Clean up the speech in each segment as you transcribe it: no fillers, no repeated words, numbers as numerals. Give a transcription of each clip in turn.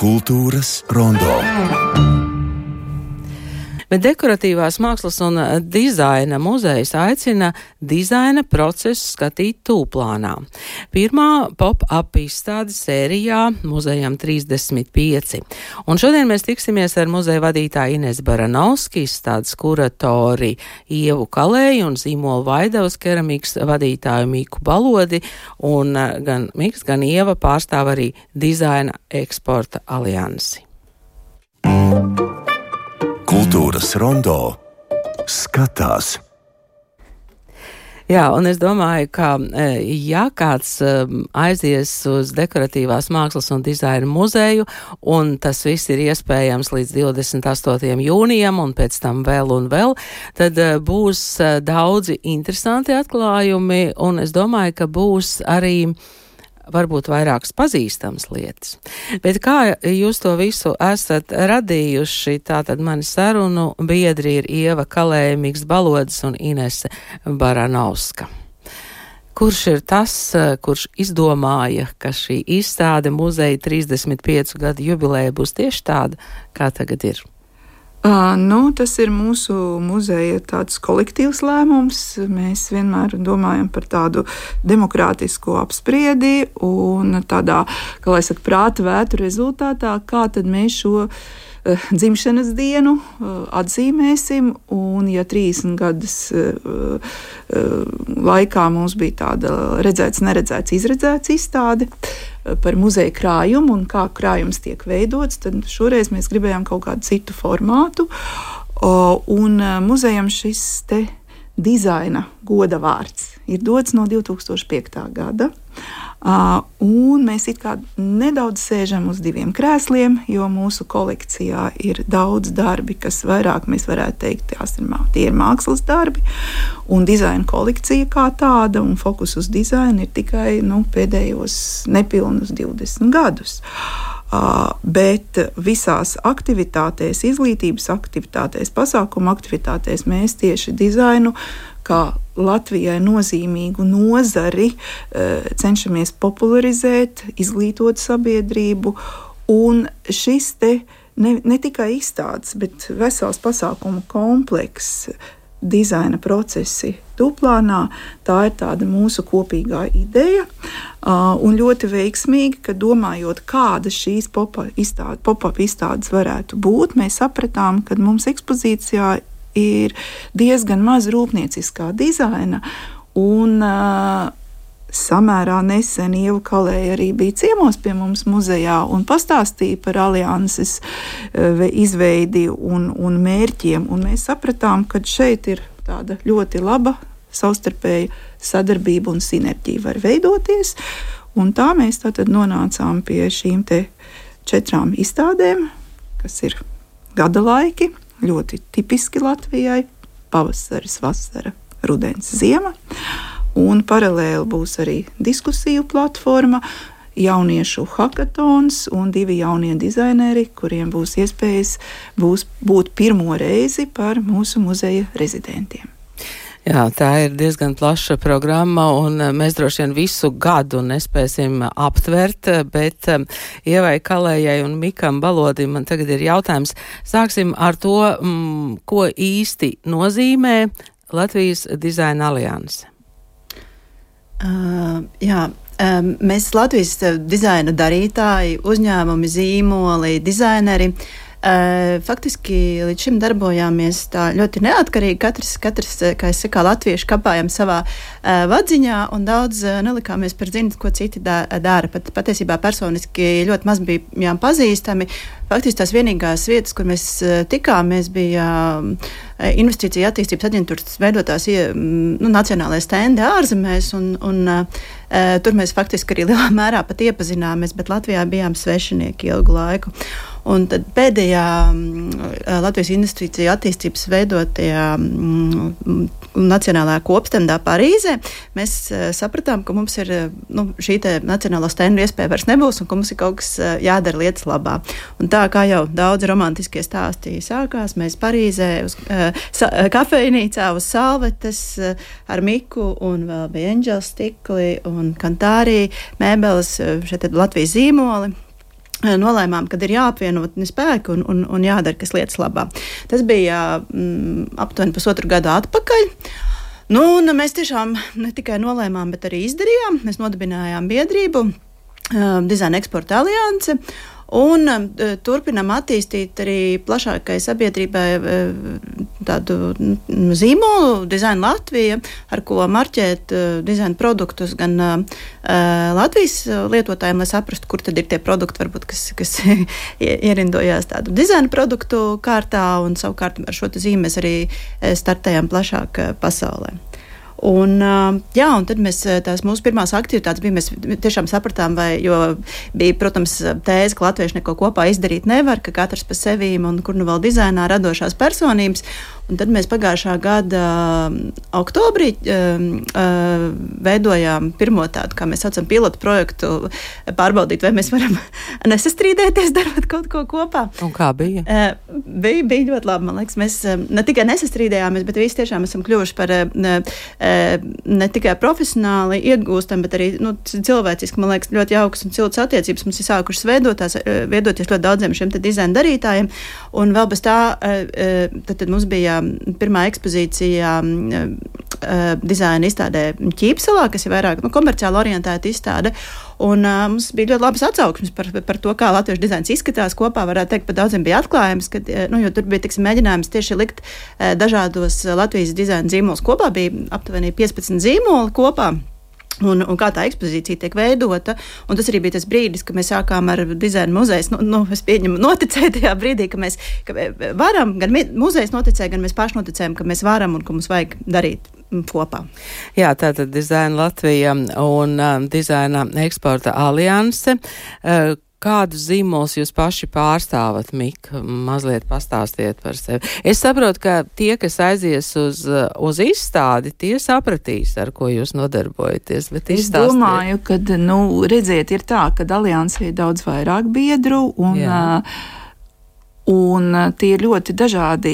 Kultūras rondo. Bet dekoratīvās mākslas un dizaina muzejs aicina dizaina procesu skatīt tūplānā. Pirmā pop-up izstāde sērijā muzejam 35. Un šodien mēs tiksimies ar muzeja vadītāju Inesu Baranovski, izstādes kuratori Ievu Kalēju un zīmolu Vaidavas keramikas vadītāju Miku Balodi. Un gan Miks, gan Ieva pārstāv arī dizaina eksporta aliansi. Kultūras rondo skatās. Jā, un es domāju, ka ja kāds aizies uz dekoratīvās mākslas un dizaina muzeju, un tas viss ir iespējams līdz 28. jūnijam un pēc tam vēl un vēl, tad būs daudzi interesanti atklājumi, un es domāju, ka būs arī varbūt vairākas pazīstamas lietas. Bet kā jūs to visu esat radījuši, tātad mani sarunu biedri ir Ieva Kalēja, Miks Balodis un Inese Baranovska. Kurš ir tas, kurš izdomāja, ka šī izstāde muzeja 35 gadu jubileja būs tieši tāda, kā tagad ir? Tas ir mūsu muzeja tāds kolektīvs lēmums. Mēs vienmēr domājam par tādu demokrātisku apspriedi un tādā, kā lai saka, prāta vētu rezultātā, kā tad mēs šo dzimšanas dienu atzīmēsim, un ja 30 gadus laikā mums bija tāda redzēts, neredzēts, izredzēts izstāde par muzeja krājumu un kā krājums tiek veidots, tad šoreiz mēs gribējām kaut kādu citu formātu, un muzejam šis te dizaina goda vārds ir dots no 2005. gada, un mēs it kā nedaudz sēžam uz diviem krēsliem, jo mūsu kolekcijā ir daudz darbi, kas vairāk mēs varētu teikt, tie ir mākslas darbi, un dizaina kolekcija kā tāda, un fokus uz dizainu ir tikai pēdējos nepilnus 20 gadus. Bet visās aktivitātēs, izglītības aktivitātēs, pasākuma aktivitātēs mēs tieši dizainu kā Latvijai nozīmīgu nozari cenšamies popularizēt, izglītot sabiedrību, un šis te ne tikai izstādes, bet vesels pasākumu komplekss, dizaina procesi tūplānā, tā ir tāda mūsu kopīgā ideja, un ļoti veiksmīgi, ka domājot, kāda šīs pop-up izstādes varētu būt, mēs sapratām, ka mums ekspozīcijā ir diezgan maz rūpnieciskā dizaina, un samērā nesen Ieva Kalēja arī bija ciemos pie mums muzejā un pastāstīja par alianses izveidi un mērķiem, un mēs sapratām, ka šeit ir tāda ļoti laba savstarpēja sadarbība un sinerģija var veidoties, un tā mēs tātad nonācām pie šīm te 4 izstādēm, kas ir gada laiki, ļoti tipiski Latvijai, pavasaris, vasara, rudens, ziema. Un paralēli būs arī diskusiju platforma, jauniešu hakatons un 2 jaunie dizaineri, kuriem būs iespējas būt pirmo reizi par mūsu muzeja rezidentiem. Jā, tā ir diezgan plaša programma, un mēs droši vien visu gadu nespēsim aptvert, bet Ievai Kalējai un Mikam Balodim man tagad ir jautājums. Sāksim ar to, ko īsti nozīmē Latvijas dizaina alianse. Mēs Latvijas dizaina darītāji, uzņēmumi, zīmoli, dizaineri, faktiski līdz šim darbojāmies tā ļoti neatkarīgi, katrs, kā es saku, latvieši kapājam savā vadziņā un daudz nelikāmies par zinu, ko citi dara. Patiesībā personiski ļoti maz bijām pazīstami. Faktiski tās vienīgās vietas, kur mēs tikāmies, bija investīcija attīstības aģentūras veidotās nacionālajie stendi ārzemēs, un tur mēs faktiski arī lielā mērā pat iepazināmies, bet Latvijā bijām svešinieki ilgu laiku. Un tad pēdējā Latvijas investīcija attīstības veidotajā nacionālajā kopstendā Parīzē mēs sapratām, ka mums ir šī te nacionālā stendu iespēja vairs nebūs un ka mums ir kaut kas jādara lietas labā. Un tā kā jau daudz romantiskie stāsti sākās, mēs Parīzē uz kafejnīcā uz salvetes ar Miku un vēl bija Angels stikli un Kantārī mēbeles, šeit Latvijas zīmoli. nolēmām, kad ir jāapvienot spēki un jādara kas lietas labā. Tas bija aptuveni 1,5 gadu atpakaļ. Un mēs tiešām ne tikai nolēmām, bet arī izdarījām. Mēs nodibinājām biedrību Dizaina eksporta alianse. Un turpinām attīstīt arī plašākai sabiedrībai tādu zīmolu Dizaina Latvija, ar ko marķēt dizaina produktus gan Latvijas lietotājiem, lai saprastu, kur tad ir tie produkti, varbūt, kas ierindojās tādu dizaina produktu kārtā, un savukārt ar šo zīmi mēs arī startējām plašāk pasaulē. Un tad mēs tās mūsu pirmās aktivitātes bija, mēs tiešām sapratām, jo bija, protams, tēze, ka latvieši neko kopā izdarīt nevar, ka katrs pa sevīm un kur nu vēl dizainā radošās personības. Un tad mēs pagājušā gada oktobrī veidojām pirmo tādu, kā mēs saucam, pilotu projektu, pārbaudīt, vai mēs varam nesastrīdēties, darot kaut ko kopā. Un kā bija? Bija ļoti labi, man liekas. Mēs ne tikai nesastrīdējāmies, bet visi tiešām esam kļuvuši par ne tikai profesionāli iegūstam, bet arī cilvēciski, man liekas, ļoti jaukas un ciltas attiecības. Mums ir sākušas veidoties ļoti daudziem šiem te dizaina darītājiem. Un vēl bez tā, tad mums bija pirmā ekspozīcija dizaina izstādē Ķīpselā, kas ir vairāk komerciāli orientēta izstāde. Un mums bija ļoti labas atsauksmes par to, kā latviešu dizains izskatās kopā. Varētu teikt, pat daudziem bija atklājums, jo tur bija mēģinājums tieši likt dažādos Latvijas dizaina zīmolus kopā. Bija aptuveni 15 zīmoli kopā. Un kā tā ekspozīcija tiek veidota. Un tas arī bija tas brīdis, kad mēs sākām ar dizaina muzejs. Es pieņemu noticēju tajā brīdī, ka mēs varam, gan muzejs noticēja, gan mēs paši noticējam, ka mēs varam un ka mums vajag darīt kopā. Jā, tātad Dizaina Latvija un Dizaina eksporta alianse. Kādus zīmolus jūs paši pārstāvat, Mika? Mazliet pastāstiet par sevi. Es saprotu, ka tie, kas aizies uz izstādi, tie sapratīs, ar ko jūs nodarbojaties. Bet es domāju, ka, redziet, ir tā, ka aliansē ir daudz vairāk biedru un tie ir ļoti dažādi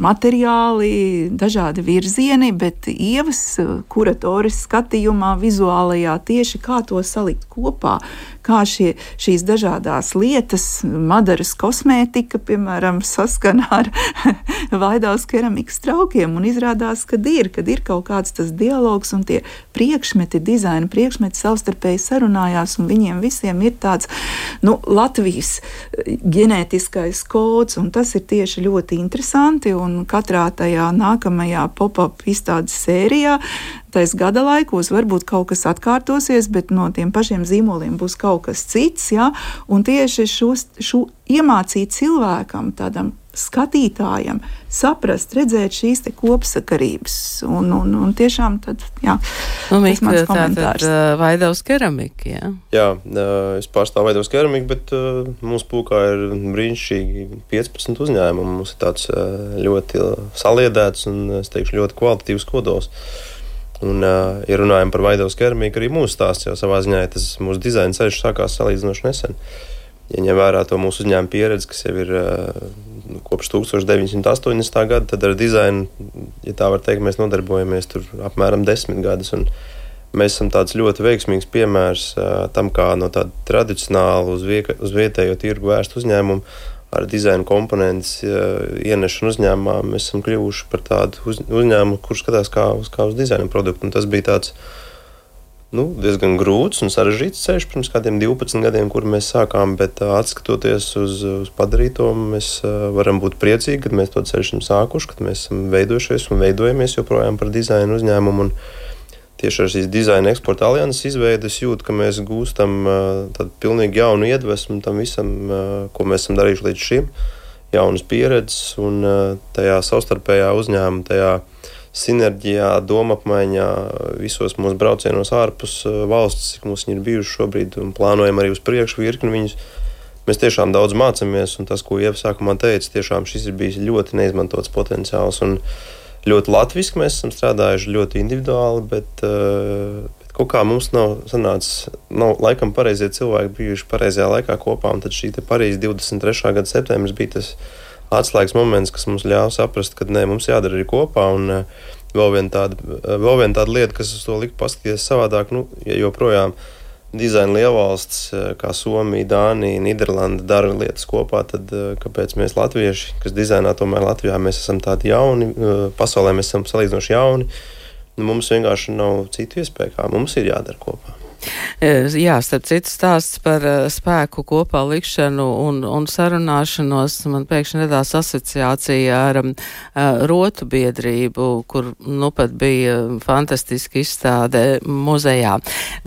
materiāli, dažādi virzieni, bet Ievas kuratoris skatījumā, vizuālajā tieši kā to salikt kopā, kā šīs dažādās lietas, Madaras kosmētika, piemēram, saskana ar Vaidavas keramikas traukiem, un izrādās, kad ir kaut kāds tas dialogs, un tie priekšmeti, dizaina priekšmeti savstarpēji sarunājās, un viņiem visiem ir tāds, Latvijas ģenētiskais kods, un tas ir tieši ļoti interesanti, un katrā tajā nākamajā pop-up izstādes sērijā tais gada laikos varbūt kaut kas atkārtosies, bet no tiem pašiem zīmoliem būs kaut kas cits, un tieši šo iemācīt cilvēkam, tādam skatītājam, saprast, redzēt šīs te kopsakarības, un tiešām tad, tas mans komentārs. Vaidavas keramika, jā? Jā, es pārstāvu Vaidavas keramiku, bet mūsu pulkā ir brīnišķīgi 15 uzņēmumu. Mums ir tāds ļoti saliedēts un, es teikšu, ļoti kvalitatīvs kodols. Un, ja runājam par Vaidavas keramiku, arī mūsu stāsts jau savā ziņā, tas mūsu dizaina ceļš sākās salīdzinoši nesen. Ja ņem vērā to mūsu uzņēmuma pieredzi, kas jau ir kopš 1980. gada, tad ar dizainu, ja tā var teikt, mēs nodarbojamies tur apmēram 10 gadus. Un mēs esam tāds ļoti veiksmīgs piemērs tam, kā no tāda tradicionāla uz vietējo tirgu vērst uzņēmumu ar dizaina komponentes ienešanu uzņēmumā, mēs esam kļuvuši par tādu uzņēmumu, kurš skatās kā uz dizaina produktu. Un tas bija tāds diezgan grūts un sarežģīts ceļš pirms kādiem 12 gadiem, kur mēs sākām, bet atskatoties uz padarīto, mēs varam būt priecīgi, kad mēs to ceļu esam sākuši, kad mēs esam veidojušies un veidojamies joprojām par dizaina uzņēmumu. Un tieši ar šīs dizaina eksporta alianses izveides jūtu, ka mēs gūstam tādu pilnīgi jaunu iedvesmu tam visam, ko mēs esam darījuši līdz šim, jaunas pieredzes un tajā savstarpējā uzņēmuma, tajā sinerģijā, domapmaiņā, visos mūsu braucienos ārpus valsts, cik mums viņi ir bijuši šobrīd un plānojam arī uz priekšu virkni viņus. Mēs tiešām daudz mācamies, un tas, ko Ieva sākumā teica, tiešām šis ir bijis ļoti neizmantots potenciāls un ļoti latviski mēs esam strādājuši, ļoti individuāli, bet kaut kā mums nav sanācis, laikam pareizie cilvēki bijuši pareizajā laikā kopā, un tad šī te Parīzes 23. gada septembris bija tas atslēgas moments, kas mums ļāva saprast, ka mums jādara arī kopā, un vēl viena tāda lieta, kas uz to lika paskatīties savādāk, ja joprojām dizaina lielvalstis, kā Somija, Dānija, Nīderlanda dara lietas kopā, tad kāpēc mēs latvieši, kas dizainā tomēr Latvijā, mēs esam tādi jauni, pasaulē mēs esam salīdzinoši jauni, mums vienkārši nav citu iespēju, kā mums ir jādara kopā. Jā, starp citu stāsts par spēku kopā likšanu un sarunāšanos man pēkšņi radās asociācija ar rotu biedrību, kur nu pat bija fantastiski izstāde muzejā.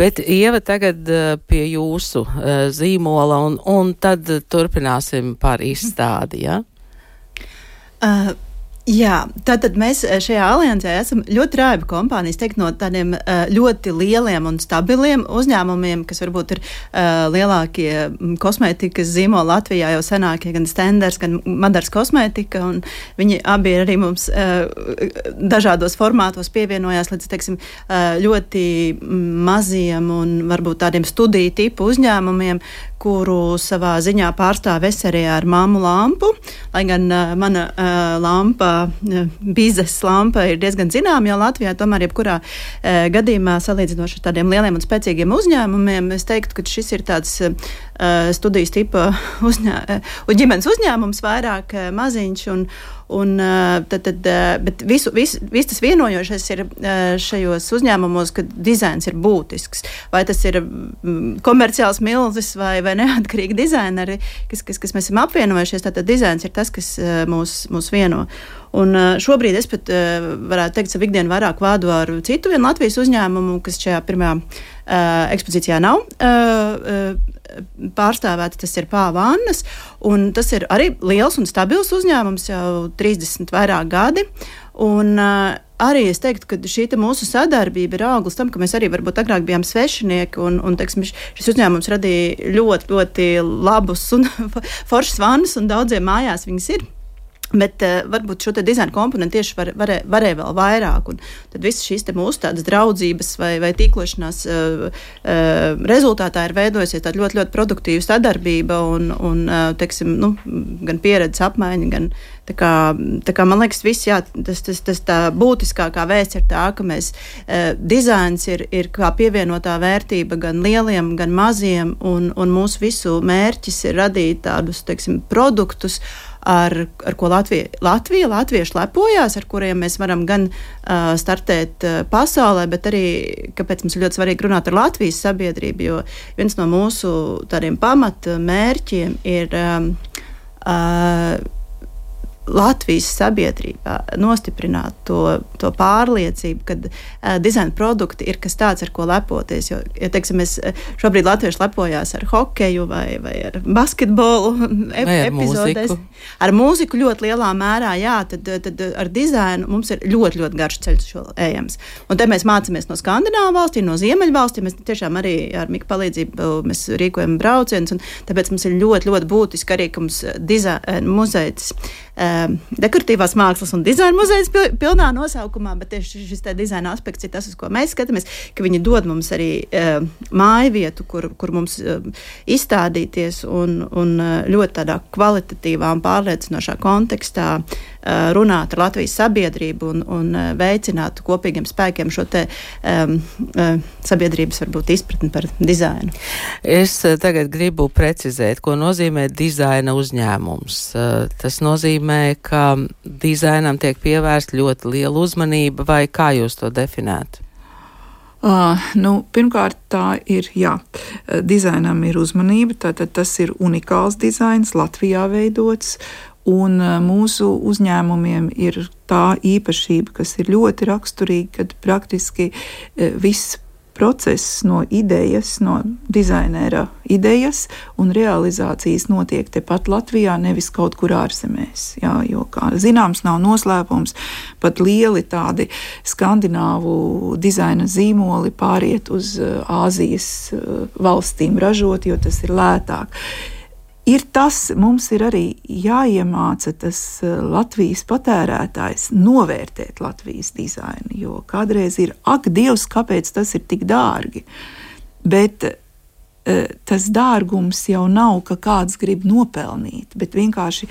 Bet Ieva tagad pie jūsu zīmola un tad turpināsim par izstādi, ja? Jā, tātad mēs šajā aliansē esam ļoti raiba kompānijas, teikt, no tādiem ļoti lieliem un stabiliem uzņēmumiem, kas varbūt ir lielākie kosmētikas zīmoli Latvijā jau senākie, gan Stenders, gan Madars kosmētika, un viņi abi arī mums dažādos formātos pievienojās līdz, teiksim, ļoti maziem un varbūt tādiem studiju tipu uzņēmumiem, kuru savā ziņā pārstāv es arī ar mammu lampu, lai gan mana lampa, biznesa lampa ir diezgan zināma jau Latvijā, tomēr jebkurā gadījumā salīdzinoši ar tādiem lieliem un spēcīgiem uzņēmumiem, es teiktu, ka šis ir tāds studijas tipa ģimenes uzņēmums, vairāk maziņš, bet viss tas vienojošais ir šajos uzņēmumos, ka dizains ir būtisks. Vai tas ir komerciāls milzis vai neatkarīgi dizaineri, kas mēs esam apvienojušies, tātad dizains ir tas, kas mūs vieno. Un šobrīd es pat varētu teikt, savu ikdienu vairāk vādu ar citu vienu Latvijas uzņēmumu, kas šajā pirmajā ekspozīcijā nav pārstāvēti, tas ir Pāvannas, un tas ir arī liels un stabils uzņēmums jau 30 vairāk gadi, un arī es teiktu, ka šī mūsu sadarbība ir auglis tam, ka mēs arī varbūt agrāk bijām svešinieki, un teiksim, šis uzņēmums radīja ļoti, ļoti labus un foršas vannas, un daudziem mājās viņas ir. Bet varbūt šo te dizaina komponentu tieši varēja vēl vairāk, un tad visas šīs te mūsu tādas draudzības vai tīklošanās rezultātā ir veidojusies tāda ļoti, ļoti produktīva sadarbība un teiksim, gan pieredzes apmaiņa, gan tā kā man liekas viss, jā, tas tā būtiskākā vēsts ir tā, ka mēs dizains ir kā pievienotā vērtība gan lieliem, gan maziem, un mūsu visu mērķis ir radīt tādus, teiksim, produktus, ar ko latvieši lepojās, ar kuriem mēs varam gan startēt pasaulē, bet arī, kāpēc mums ir ļoti svarīgi runāt ar Latvijas sabiedrību, jo viens no mūsu tādiem pamata mērķiem ir Latvijas sabiedrībā nostiprināt to pārliecību, ka dizaina produkti ir kas tāds, ar ko lepoties. Jo, ja teiksim, mēs šobrīd latvieši lepojās ar hokeju vai ar basketbolu epizodēs. Ar mūziku ļoti lielā mērā, jā, tad ar dizainu mums ir ļoti, ļoti garš ceļš ejams. Un te mēs mācāmies no Skandināvu valstīm, no Ziemeļu valstīm. Mēs tiešām arī ar Mika palīdzību mēs rīkojam braucienus, un tāpēc mums ir ļoti, ļoti būtiski arī, ka mums muzejs dekoratīvās mākslas un dizaina muzejs pilnā nosaukumā, bet tieši šis te dizaina aspekts ir tas, uz ko mēs skatāmies, ka viņi dod mums arī māju vietu, kur mums izstādīties un ļoti tādā kvalitatīvā un pārliecinošā kontekstā runāt ar Latvijas sabiedrību un veicināt kopīgiem spēkiem šo te sabiedrības varbūt izpratni par dizainu. Es tagad gribu precizēt, ko nozīmē dizaina uzņēmums. Tas nozīmē, ka dizainam tiek pievērsta ļoti liela uzmanība, vai kā jūs to definētu? Pirmkārt, tā ir, jā, dizainam ir uzmanība, tātad tas ir unikāls dizains, Latvijā veidots, un mūsu uzņēmumiem ir tā īpašība, kas ir ļoti raksturīga, kad praktiski viss process no idejas, no dizainera idejas un realizācijas notiek tepat Latvijā, nevis kaut kur ārzemēs. Jā, jo, kā zināms, nav noslēpums, pat lieli tādi skandināvu dizaina zīmoli pāriet uz Āzijas valstīm ražot, jo tas ir lētāk. Mums ir arī jāiemāca tas Latvijas patērētājs novērtēt Latvijas dizainu, jo kādreiz ir, ak, Dievs, kāpēc tas ir tik dārgi. Bet tas dārgums jau nav, ka kāds grib nopelnīt, bet vienkārši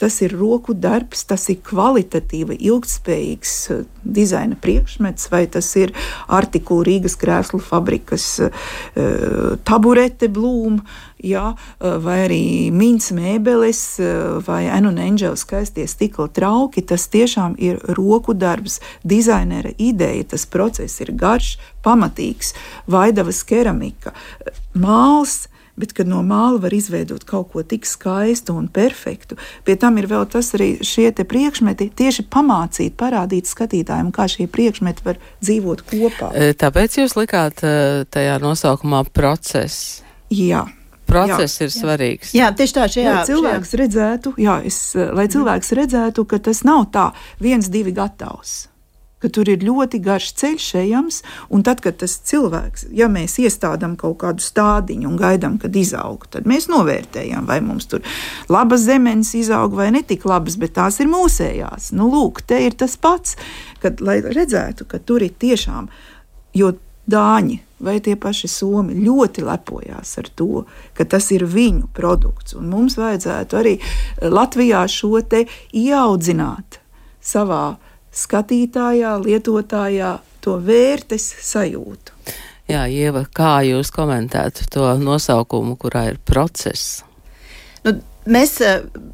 tas ir roku darbs, tas ir kvalitatīva, ilgtspējīgs dizaina priekšmets, vai tas ir Artikula Rīgas krēslu fabrikas taburete Blūm, jā, vai arī Mins mēbeles, vai Angel skaistie stikla trauki, tas tiešām ir roku darbs, dizainera ideja, tas process ir garš, pamatīgs, Vaidavas keramika, māls, bet kad no māla var izveidot kaut ko tik skaistu un perfektu, pie tam ir vēl tas arī šie te priekšmeti tieši pamācīt, parādīt skatītājiem, kā šie priekšmeti var dzīvot kopā. Tāpēc jūs likāt tajā nosaukumā process? Jā. Process ir svarīgs. Jā, tieši tā, lai cilvēks redzētu, ka tas nav tā 1-2 gatavs, ka tur ir ļoti garš ceļš ejams, un tad, kad tas cilvēks, ja mēs iestādām kaut kādu stādiņu un gaidām, kad izaug, tad mēs novērtējam, vai mums tur labas zemenes izaug vai netik labas, bet tās ir mūsējās. Nu, lūk, te ir tas pats, kad, lai redzētu, ka tur ir tiešām, jo Dāņi vai tie paši Somi ļoti lepojās ar to, ka tas ir viņu produkts, un mums vajadzētu arī Latvijā šo te ieaudzināt savā skatītājā, lietotājā to vērtes sajūtu. Jā, Ieva, kā jūs komentētu to nosaukumu, kurā ir process? Nu, mēs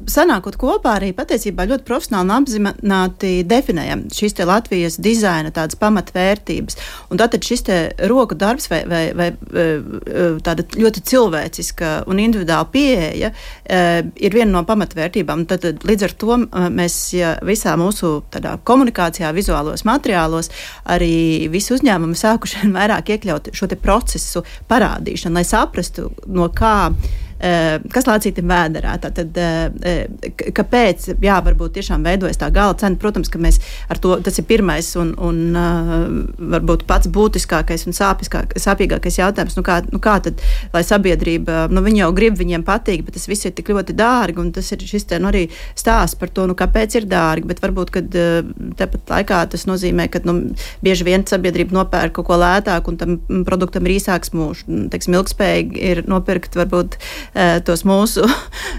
sanākot kopā arī patiesībā ļoti profesionāli un apzināti definējam šīs te Latvijas dizaina tādas pamatvērtības. Un tātad šis te roku darbs vai tāda ļoti cilvēciska un individuāla pieeja ir viena no pamatvērtībām. Tad līdz ar to mēs visā mūsu tādā komunikācijā, vizuālos materiālos arī visi uzņēmumi sākuši vairāk iekļaut šo te procesu parādīšanu, lai saprastu, no kā kas lācītim vēderā, tātad kāpēc, jā, varbūt tiešām veidojas tā gala cena. Protams, ka mēs ar to, tas ir pirmais un varbūt pats būtiskākais un sāpīgākais jautājums, nu kā tad, lai sabiedrība, viņi jau grib, viņiem patīk, bet tas viss ir tik ļoti dārgi, un tas ir šis te, arī stāsts par to, kāpēc ir dārgi, bet varbūt, kad tepat laikā tas nozīmē, ka, bieži vien sabiedrība nopērk kaut ko lētāk, un tam produktam ir īsāks mūžs, teiksim, ilgspējīgi ir nopirkt, varbūt, tos mūsu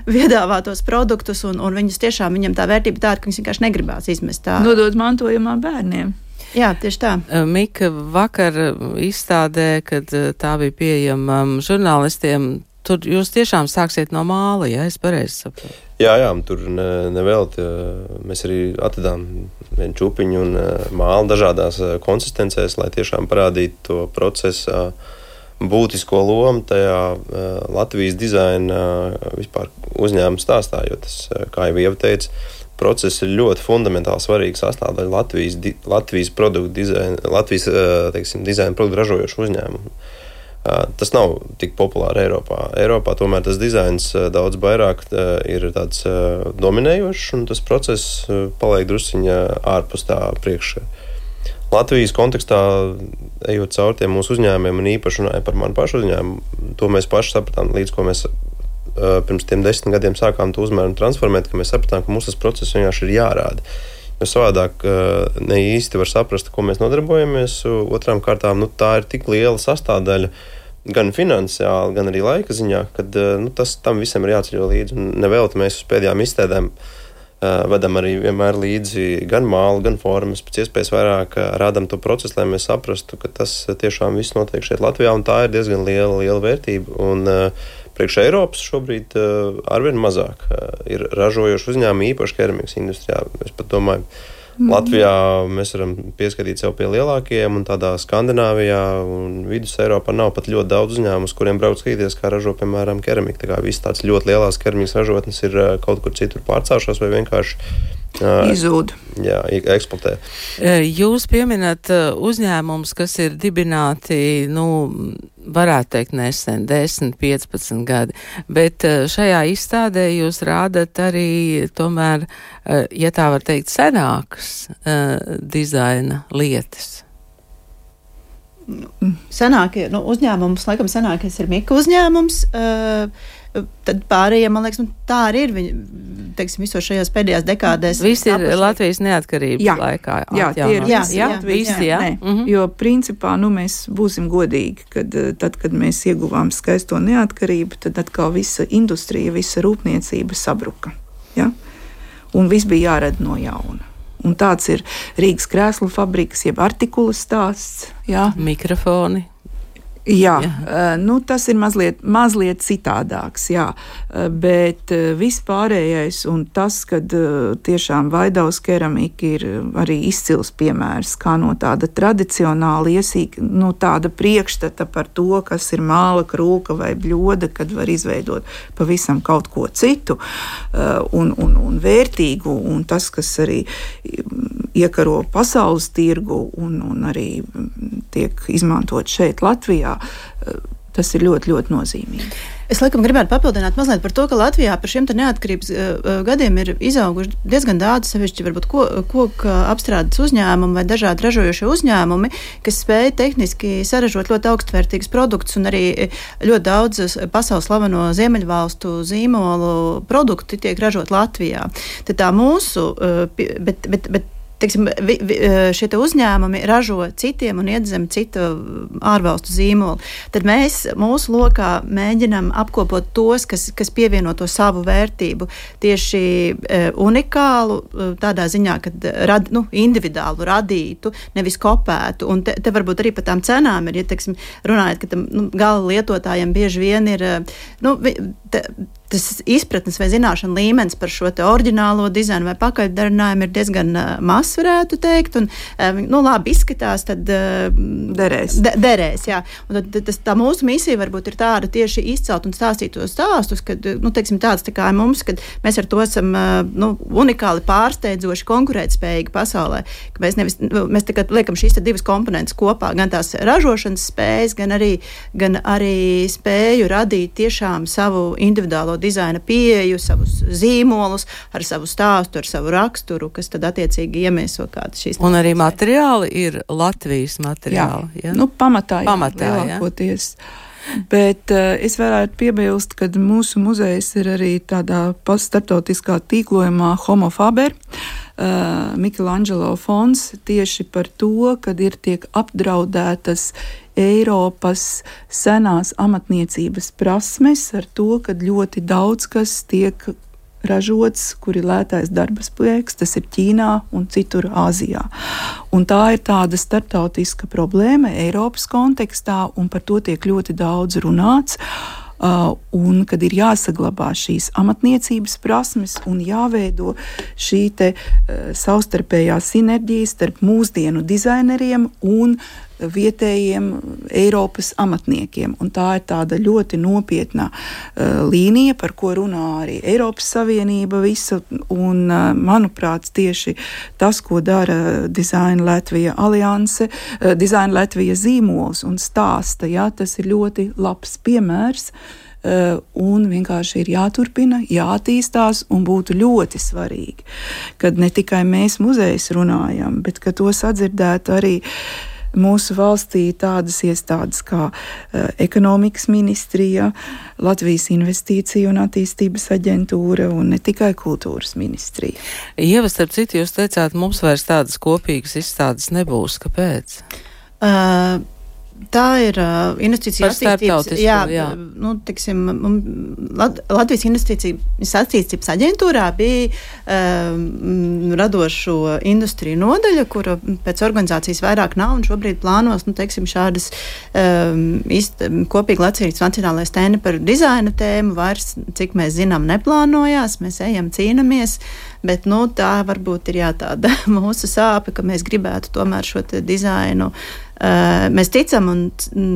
piedāvātos produktus, un viņus tiešām, viņam tā vērtība tāda, ka viņus vienkārši negribās izmest tā. Nodot mantojumā bērniem. Jā, tieši tā. Mika, vakar izstādē, kad tā bija pieejama žurnālistiem, tur jūs tiešām sāksiet no māla, ja es pareizi saprotu? Jā, tur nevelti. Mēs arī atvedām vienu čupiņu un mālu dažādās konsistencēs, lai tiešām parādītu to procesu būtisko lomu tajā Latvijas dizaina vispār uzņēmuma stāstā, jo tas, kā jau Ieva teica, process ir ļoti fundamentāli svarīga sastāvdaļa Latvijas produktu dizaina, Latvijas, teiksim, dizaina produktu ražojošu uzņēmumu. Tas nav tik populāri Eiropā. Eiropā tomēr tas dizains daudz vairāk ir tāds dominējošs, un tas process paliek drusciņā ārpus tā priekšā. Latvijas kontekstā, ejot caur tiem mūsu uzņēmumiem, un īpaši runāja par manu pašu uzņēmumu, to mēs paši sapratām, līdz ko mēs pirms tiem 10 gadiem sākām to uzmēru un transformēt, ka mēs sapratām, ka mums tas process vienkārši ir jārāda. Jo savādāk ne īsti var saprast, ko mēs nodarbojamies. Otrām kārtām, tā ir tik liela sastāvdaļa, gan finansiāli, gan arī laika ziņā, kad tam visam ir jāceļo līdzi. Un nevelti mēs uz pēdējām izstādēm vedam arī vienmēr līdzi gan mālu, gan formas, pēc iespējas vairāk rādam to procesu, lai mēs saprastu, ka tas tiešām viss notiek šeit Latvijā, un tā ir diezgan liela vērtība. Un priekš Eiropas šobrīd arvien mazāk ir ražojoši uzņēmumi, īpaši keramikas industrijā. Es pat domāju, Latvijā mēs varam pieskatīt sev pie lielākajiem, un tādā Skandināvijā un Vidus Eiropā nav pat ļoti daudz uzņēmumu, uz kuriem brauc skatīties, kā ražo, piemēram, keramika. Tā kā viss tāds ļoti lielās keramikas ražotnes ir kaut kur citur pārcēlušās vai vienkārši izzūd. Jā, eksploatē. Jūs pieminat uzņēmumus, kas ir dibināti, varētu teikt nesen, 10, 15 gadi, bet šajā izstādē jūs rādat arī tomēr, ja tā var teikt, senākas dizaina lietas. Uzņēmums, laikam senākais ir Mika uzņēmums, tad pārējiem, man liekas, tā arī ir viņi, teiksim, visos šajās pēdējās dekādēs. Visi ir Latvijas neatkarības laikā. Jā, tie ir visi. Jo principā, mēs būsim godīgi, kad tad, kad mēs ieguvām skaisto neatkarību, tad atkal visa industrija, visa rūpniecība sabruka. Ja? un viss bija jārada no jauna. Un tāds ir Rīgas krēslu fabrikas, jeb artikula stāsts. Jā. Mikrofoni. Jā, tas ir mazliet citādāks, jā, bet vispārējais un tas, kad tiešām Vaidavas keramika ir arī izcils piemērs, kā no tāda tradicionāla iesīka, tāda priekšstata par to, kas ir māla, krūka vai bļoda, kad var izveidot pavisam kaut ko citu un vērtīgu, un tas, kas arī iekaro pasaules tirgu un arī tiek izmantot šeit Latvijā, tas ir ļoti, ļoti nozīmīgi. Es laikam gribētu papildināt mazliet par to, ka Latvijā par šiem neatkarības gadiem ir izauguši diezgan daudz sevišķi varbūt koku apstrādes uzņēmumi vai dažādi ražojošie uzņēmumi, kas spēja tehniski saražot ļoti augstvērtīgus produktus un arī ļoti daudz pasaules slaveno ziemeļvalstu zīmolu produkti tiek ražot Latvijā. Tad tā mūsu, teiksim, šie te uzņēmumi ražo citiem un iedzem citu ārvalstu zīmolu. Tad mēs mūsu lokā mēģinam apkopot tos, kas pievieno to savu vērtību tieši unikālu, tādā ziņā, kad individuālu radītu, nevis kopētu. Un te varbūt arī par tām cenām ir, ja, teiksim, runājot, ka tam gala lietotājiem bieži vien ir, tas izpratnes vai zināšana līmenis par šo te oriģinālo dizainu vai pakaļdarinājumu ir diezgan mazs, varētu teikt, un labi izskatās, tad derēs, jā. Un tad tā mūsu misija varbūt ir tāda tieši izcelt un stāstīt tos stāstus, kad, teiksim, tāds tā kā mums, kad mēs ar to esam, unikāli pārsteidzoši konkurētspējīgi pasaulē, ka mēs tā kā liekam šīs te divas komponentes kopā, gan tās ražošanas spējas, gan arī spēju radīt tiešām savu individuālo dizaina pieeju, savus zīmolus, ar savu stāstu, ar savu raksturu, kas tad attiecīgi iemieso kādas šīs. Un arī materiāli ir Latvijas materiāli. Jā, pamatā lielākoties. Jā. Bet es varētu piebilst, ka mūsu muzejs ir arī tādā starptautiskā tīklojumā Homo Faber, Michelangelo fonds, tieši par to, kad tiek apdraudētas Eiropas senās amatniecības prasmes ar to, ka ļoti daudz kas tiek ražots, kur ir lētais darba spēks, tas ir Ķīnā un citur Āzijā. Un tā ir tāda starptautiska problēma Eiropas kontekstā, un par to tiek ļoti daudz runāts. Un kad ir jāsaglabā šīs amatniecības prasmes un jāveido šī te savstarpējā sinerģija starp mūsdienu dizaineriem un vietējiem Eiropas amatniekiem. Un tā ir tāda ļoti nopietna līnija, par ko runā arī Eiropas Savienība visa. Un, manuprāt, tieši tas, ko dara Design Latvija alianse, Design Latvija zīmols un stāsta, tas ir ļoti labs piemērs. Un vienkārši ir jāturpina, jāattīstās, un būtu ļoti svarīgi, kad ne tikai mēs muzejs runājam, bet ka to sadzirdētu arī mūsu valstī tādas iestādes kā ekonomikas ministrija, Latvijas investīciju un attīstības aģentūra un ne tikai kultūras ministrija. Ieva, starp citu, jūs teicāt, mums vairs tādas kopīgas izstādes nebūs. Kāpēc? Tā ir investīcija attīstības. Teiksim, Latvijas investīcijas attīstības aģentūrā bija radošo industriju nodaļa, kura pēc organizācijas vairāk nav, un šobrīd plānos, šādas kopīgi Latvijas nacionālais stēni par dizaina tēmu vairs, cik mēs zinām, neplānojās. Mēs ejam, cīnamies, bet tā varbūt ir tāda mūsu sāpe, ka mēs gribētu tomēr šo te dizainu. Mēs ticam,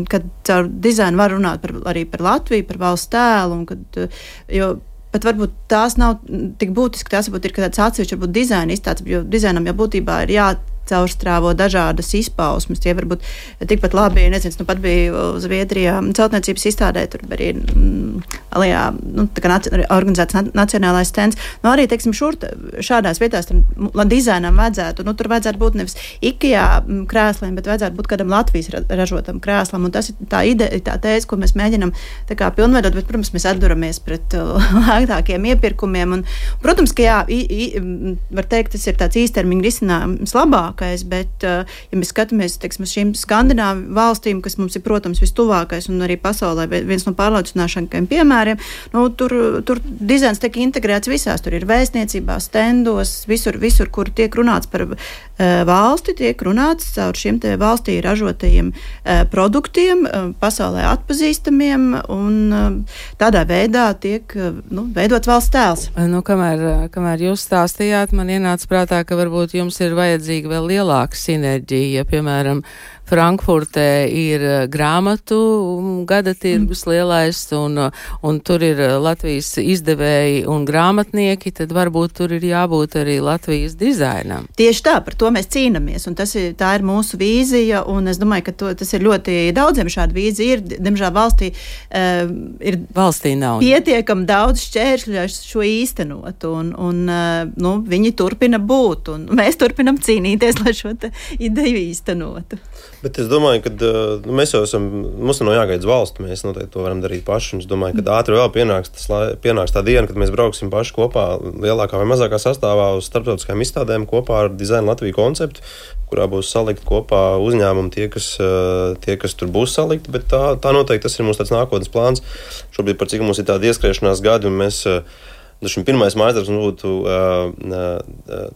ka caur dizainu var runāt arī par Latviju, par valsts tēlu, jo pat varbūt tās nav tik būtiski, tās varbūt ir tāds atsevišķi varbūt dizaina izstādes, jo dizainam jau būtībā ir caurstrāvo dažādas izpausmes. Tie varbūt tikpat labi, nezinu, pat bija Zviedrijā celtniecības izstādē, tur arī Alijā, organizēts nacionālais stends. Arī, teiksim, šādās vietās tam dizainam vajadzētu, tur vajadzētu būt nevis IKEA krēsliem, bet vajadzētu būt kādam Latvijas ražotam krēslam. Un tas ir tā ideja, tā tēze, ko mēs mēģinam tā kā pilnveidot, bet, protams, mēs atduramies pret lētākiem iepirkumiem. Un, protams, ka var teikt, tas ir tāds īstermiņa risinājums labāk, tuvākais, bet, ja mēs skatāmies, teiksim, uz šīm Skandināvu valstīm, kas mums ir, protams, vistuvākais un arī pasaulē viens no pārliecināšanākajiem piemēriem, tur dizains tiek integrēts visās, tur ir vēstniecībā, stendos, visur, kur tiek runāts par valsti, tiek runāts caur šiem te valstī ražotajiem produktiem, pasaulē atpazīstamiem, un tādā veidā tiek veidot valsts tēls. Kamēr jūs stāstījāt, man ienāca prātā, ka varbūt jums ir vajadzīga vēl lielāka sinerģija, ja, piemēram, Frankfurtē ir grāmatu gada tirgus lielais, un tur ir Latvijas izdevēji un grāmatnieki, tad varbūt tur ir jābūt arī Latvijas dizainam. Tieši tā, par to mēs cīnamies, un tā ir mūsu vīzija, un es domāju, ka tas ir ļoti daudziem šāda vīzija ir. Diemžēl valstī nav pietiekami daudz šķēršļu, lai šo īstenot, un viņi turpina būt, un mēs turpinam cīnīties, lai šo ideju īstenotu. Bet es domāju, ka mēs jau mums nav jāgaida valsts, mēs noteikti to varam darīt paši. Un es domāju, ka ātri vēl pienāks tā diena, kad mēs brauksim paši kopā lielākā vai mazākā sastāvā uz starptautiskajām izstādēm kopā ar Design Latviju konceptu, kurā būs salikt kopā uzņēmumi tie, kas tur būs salikti. Bet tā noteikti tas ir mūsu tāds nākotnes plāns. Šobrīd par cik mums ir tāda ieskriešanās gadi, un mēs pirmais mājasdarbs būtu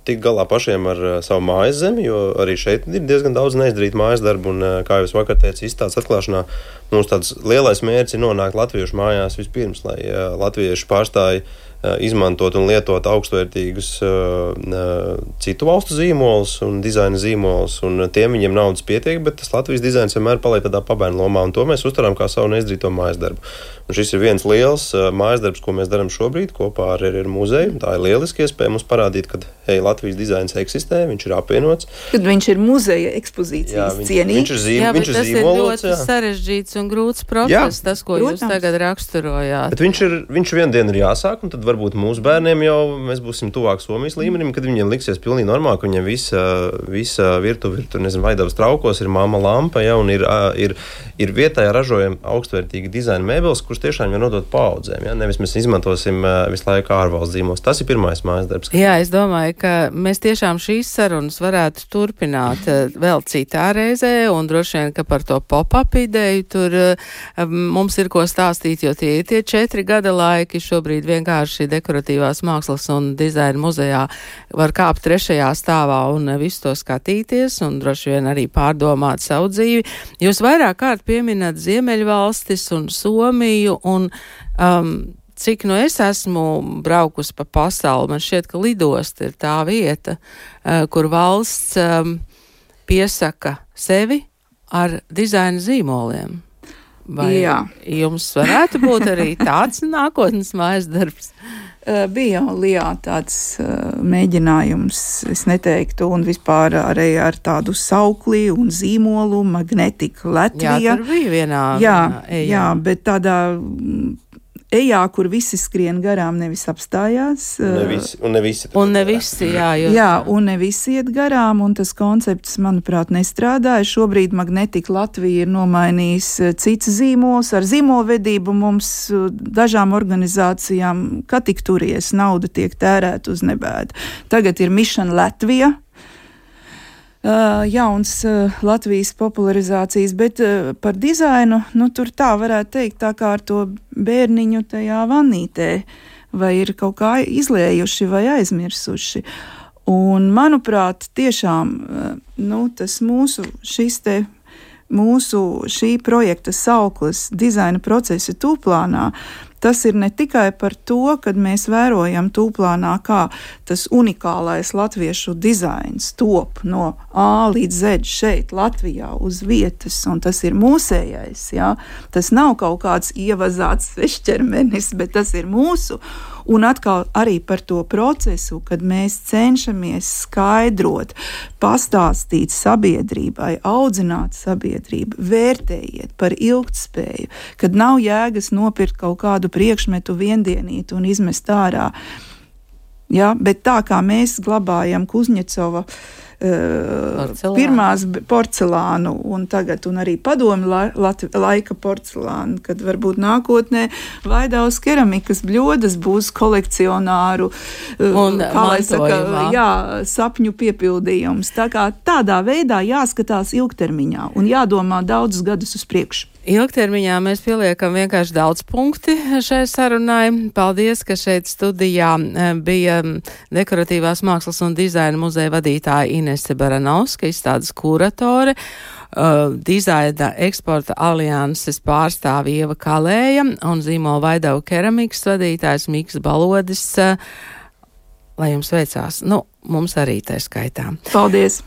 tikt galā pašiem ar savu mājas zemi, jo arī šeit ir diezgan daudz neizdarīt mājas darbu, un, kā jau es vakar teicu, izstādes atklāšanā, mums tāds lielais mērķis ir nonākt latviešu mājās vispirms, lai latvieši pārstāji izmantot un lietot augstvērtīgus citu valstu zīmolus un dizaina zīmolus, un tiem viņiem naudas pietiek, bet tas Latvijas dizains vienmēr paliek tādā pabērnu lomā, un to mēs uztveram kā savu neizdarīto mājas darbu. Un šis ir viens liels mājas darbs, ko mēs darām šobrīd kopā ar muzeju. Tā ir lieliski iespēja mums parādīt, ka Latvijas dizains eksistē, viņš ir apvienots. Kad viņš ir muzeja ekspozīcijas cienīgs. Viņš ir zīmolots. Tas ir ļoti sarežģīts un grūts process, tas, ko jūs tagad raksturojāt. Bet viņš vien dienu ir jāsāk, un tad varbūt mūsu bērniem jau mēs būsim tuvāk Somijas līmenim, kad viņiem liksies pilnīgi normāli, ka viņiem visa virtuve ir, Vaidavas traukos, ir mamma lampa, un ir vietējā ražojama augstvērtīga dizaina mēbeles, kurus tiešām var nodot paaudzēm. Ja? Nevis mēs izmantosim visu laiku ārvalsts zīmos. Tas ir pirmais mājas darbs. Jā, es domāju, ka mēs tiešām šīs sarunas varētu turpināt vēl citā reizē, un droši vien, ka par to pop-up ideju tur mums ir ko stāstīt, jo tie 4 gada laiki šobrīd vienkārši dekoratīvās mākslas un dizaina muzejā var kāpt 3. stāvā un visu to skatīties, un droši vien arī pārdomāt savu dzīvi. Jūs vairāk kārt pieminat Ziemeļvalstis un Somiju, un cik es esmu braukusi pa pasauli, man šķiet, ka lidosta ir tā vieta, kur valsts piesaka sevi ar dizaina zīmoliem. Vai jums varētu būt arī tāds nākotnes mājas darbs? Bija jau Lijā tāds mēģinājums, es neteiktu, un vispār arī ar tādu saukli un zīmolu Magnetika Latvija. Jā, tur bija vienā. Jā, bet tādā ejā, kur visi skrien garām, nevis apstājās. Un ne visi. Un ne visi iet garām, un tas koncepts, manuprāt, nestrādāja. Šobrīd Magnetika Latvija ir nomainījis cits zīmols. Ar zīmolvedību mums dažām organizācijām, kā tik turies, nauda tiek tērēta uz nebēdu. Tagad ir Mission Latvija. Jauns Latvijas popularizācijas, bet par dizainu, tur tā varētu teikt, tā kā ar to bērniņu tajā vannītē, vai ir kaut kā izlējuši vai aizmirsuši. Un, manuprāt, tiešām, tas mūsu šī projekta sauklis dizaina procesa tūplānā, tas ir ne tikai par to, kad mēs vērojam tūplānā, kā tas unikālais latviešu dizains top no A līdz Z šeit Latvijā uz vietas, un tas ir mūsējais, jā. Tas nav kaut kāds ievazāts svešķermenis, bet tas ir mūsu. Un atkal arī par to procesu, kad mēs cenšamies skaidrot, pastāstīt sabiedrībai, audzināt sabiedrību, vērtējiet par ilgtspēju, kad nav jēgas nopirkt kaut kādu priekšmetu viendienīt un izmest ārā. Ja, bet tā kā mēs glabājam Kuzņecova pirmās porcelānu un tagad, un arī padomu laika porcelānu, kad varbūt nākotnē Vaidavas keramikas bļodas būs kolekcionāru un, kā lai saka, sapņu piepildījums. Tā kā tādā veidā jāskatās ilgtermiņā un jādomā daudzus gadus uz priekšu. Ilgtermiņā mēs pieliekam vienkārši daudz punkti šai sarunai. Paldies, ka šeit studijā bija Dekoratīvās mākslas un dizaina muzeja vadītāja Inese Baranovska, izstādes kuratore, dizaina eksporta alianses pārstāve Ieva Kalēja un zīmola Vaidava keramikas vadītājs Miks Balodis. Lai jums veicās. Mums arī tā skaitā. Paldies!